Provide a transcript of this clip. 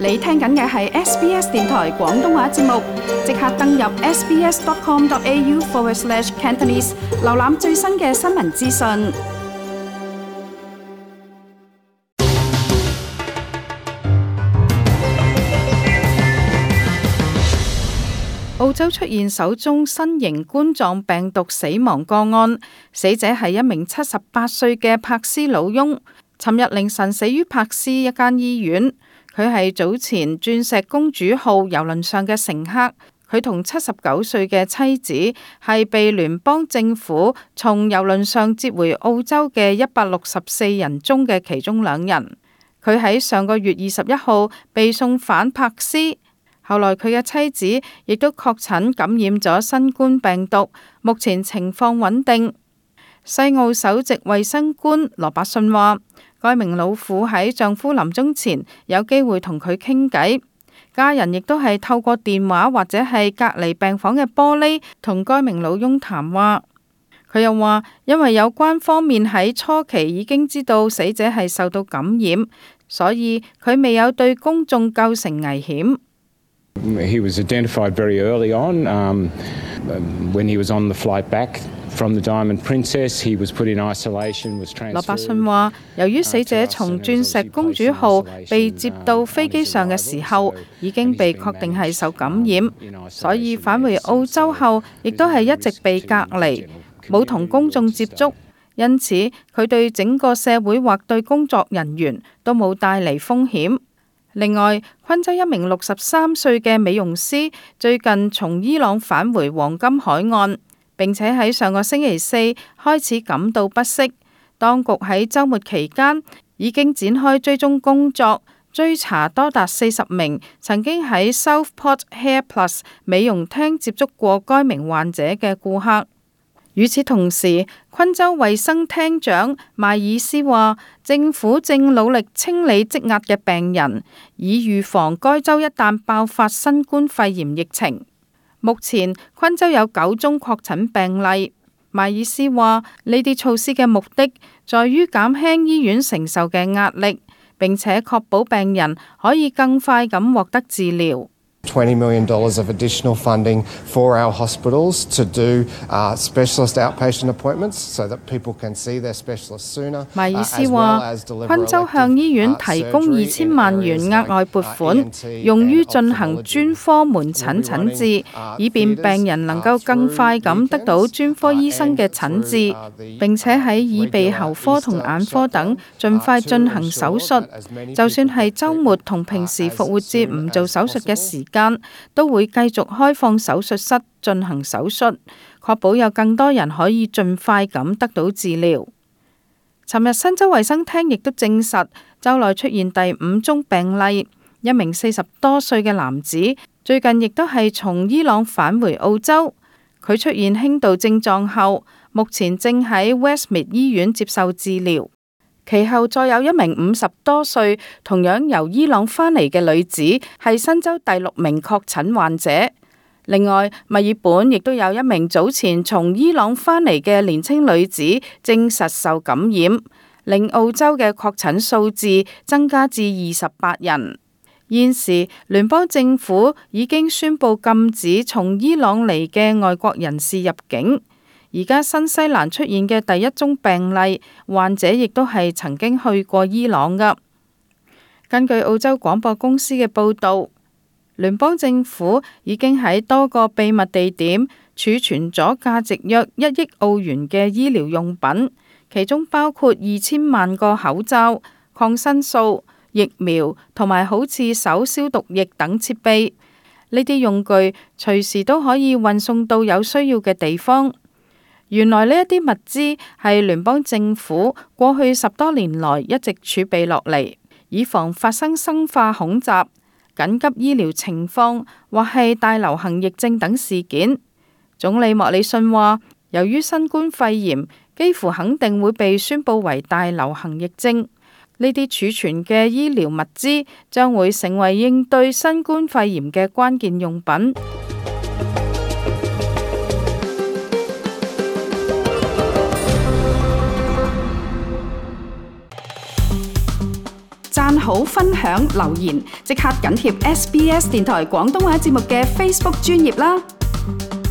你聽緊嘅係 SBS 電台廣東話節目，即刻登入 sbs.com.au/Cantonese， 瀏覽最新嘅新聞資訊。澳洲出現首宗新型冠狀病毒死亡個案，死者係一名78歲嘅柏斯老翁，尋日凌晨死於柏斯一間醫院。佢係早前鑽石公主號郵輪上嘅乘客，佢同79歲嘅妻子係被聯邦政府從郵輪上接回澳洲嘅164人中嘅其中2人。佢喺上個月21號被送返柏斯，後來佢嘅妻子亦都確診感染咗新冠病毒，目前情況穩定。西澳首席衛生官羅伯遜話，該名老婦喺丈夫臨終前有機會同佢傾偈，家人亦都係透過電話或者係隔離病房嘅玻璃同該名老翁談話。佢又話，因為有關方面喺初期已經知道死者係受到感染，所以佢未有對公眾構成危險。He was identified very early on. When he was on the flight back from the Diamond Princess, he was put in isolation, was transferred. 羅伯遜話，由於死者從鑽石公主號被接到飛機上嘅時候，已經被確定係受感染，所以返回澳洲後，亦都係一直被隔離，冇同公眾接觸，因此佢對整個社會或對工作人員都冇帶嚟風險。另外，昆州一名63歲嘅美容師最近從伊朗返回黃金海岸，並且喺上個星期四開始感到不適。當局喺週末期間已經展開追蹤工作，追查多達40名曾經喺 Southport Hair Plus 美容廳接觸過該名患者嘅顧客。與此同時，昆州衛生廳長邁爾斯話，政府正努力清理積壓嘅病人，以預防該州一旦爆發新冠肺炎疫情。目前，昆州有9宗確診病例。邁爾斯話，呢啲措施嘅目的在於減輕醫院承受嘅壓力，並且確保病人可以更快咁獲得治療。$20 million of additional funding for our hospitals to do specialist outpatient appointments so that people can see their specialists sooner. 邁爾斯話，昆州向醫院提供2000萬元額外撥款，用於進行專科門診診治，以便病人能夠更快咁得到專科醫生嘅診治，並且喺耳鼻喉科同眼科等盡快進行手術。就算係週末同平時復活節唔做手術嘅時間，都會繼續開放手術室進行手術，確保有更多人可以盡快咁得到治療。尋日新州衛生廳亦都證實，州內出現第5宗病例，一名40多歲嘅男子最近亦都係從伊朗返回澳洲，佢出現輕度症狀後，目前正喺 Westmead 醫院接受治療。其後再有一名50多歲同樣由伊朗返嚟嘅女子係新州第6名確診患者。另外，墨爾本亦都有一名早前從伊朗返嚟嘅年輕女子證實受感染，令澳洲嘅確診數字增加至28人。現時聯邦政府已經宣布禁止從伊朗嚟嘅外國人士入境。而家新西蘭出現嘅第1宗病例，患者亦都係曾經去過伊朗㗎。根據澳洲廣播公司嘅報導，聯邦政府已經喺多個秘密地點儲存咗價值約1億澳元嘅醫療用品，其中包括2000萬個口罩、抗生素、疫苗同埋好似手消毒液等設備。呢啲用具隨時都可以運送到有需要嘅地方。原來呢一啲物資係聯邦政府過去10多年來一直儲備落嚟，以防發生生化恐襲、緊急醫療情況或係大流行疫症等事件。總理莫里遜話，由於新冠肺炎幾乎肯定會被宣佈為大流行疫症，呢啲儲存嘅醫療物資將會成為應對新冠肺炎嘅關鍵用品。讚好、分享、留言，即刻緊貼SBS 電台廣東話節目嘅 Facebook 專頁啦！